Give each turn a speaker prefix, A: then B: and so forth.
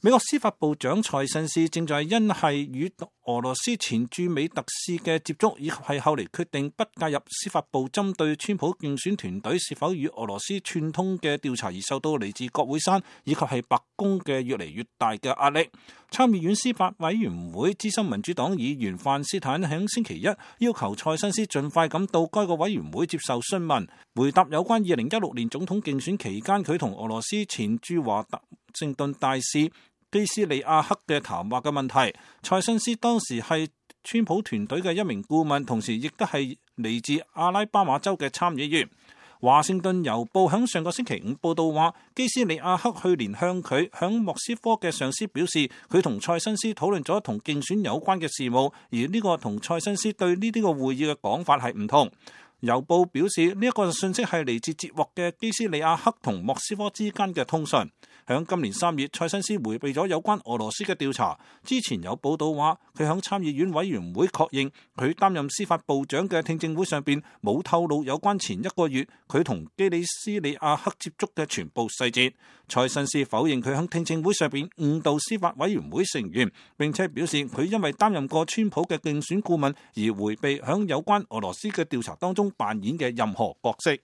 A: 美國司法部長蔡新斯正在因係與俄羅斯前駐美特使嘅接觸，以及係後嚟決定不介入司法部針對川普競選團隊是否與俄羅斯串通嘅調查而受到嚟自國會山以及係白宮嘅越嚟越大嘅壓力。參議院司法委員會資深民主黨議員范斯坦喺星期一要求蔡新斯盡快咁到該個委員會接受詢問，回答有關2016年總統競選期間佢同俄羅斯前駐華盛頓大使基斯利亞克嘅談話嘅問題。蔡新斯當時係川普團隊嘅一名顧問，同時亦都係嚟自阿拉巴馬州嘅參議員。華盛頓郵報喺上個星期五報道話，基斯利亞克去年向佢響莫斯科嘅上司表示，佢同蔡新斯討論咗同競選有關嘅事務，而呢個同蔡新斯對呢啲個會議嘅講法係唔同。郵報表示呢一個信息係嚟自接獲嘅基斯利亞克同莫斯科之間嘅通訊。響今年3月，蔡新斯迴避咗有關俄羅斯嘅調查。之前有報道話，佢響參議院委員會確認佢擔任司法部長嘅聽證會上邊冇透露有關前一個月佢同基里斯利亞克接觸嘅全部細節。蔡新斯否認佢響聽證會上邊誤導司法委員會成員，並且表示佢因為擔任過川普嘅競選顧問而迴避響有關俄羅斯嘅調查當中扮演嘅任何角色。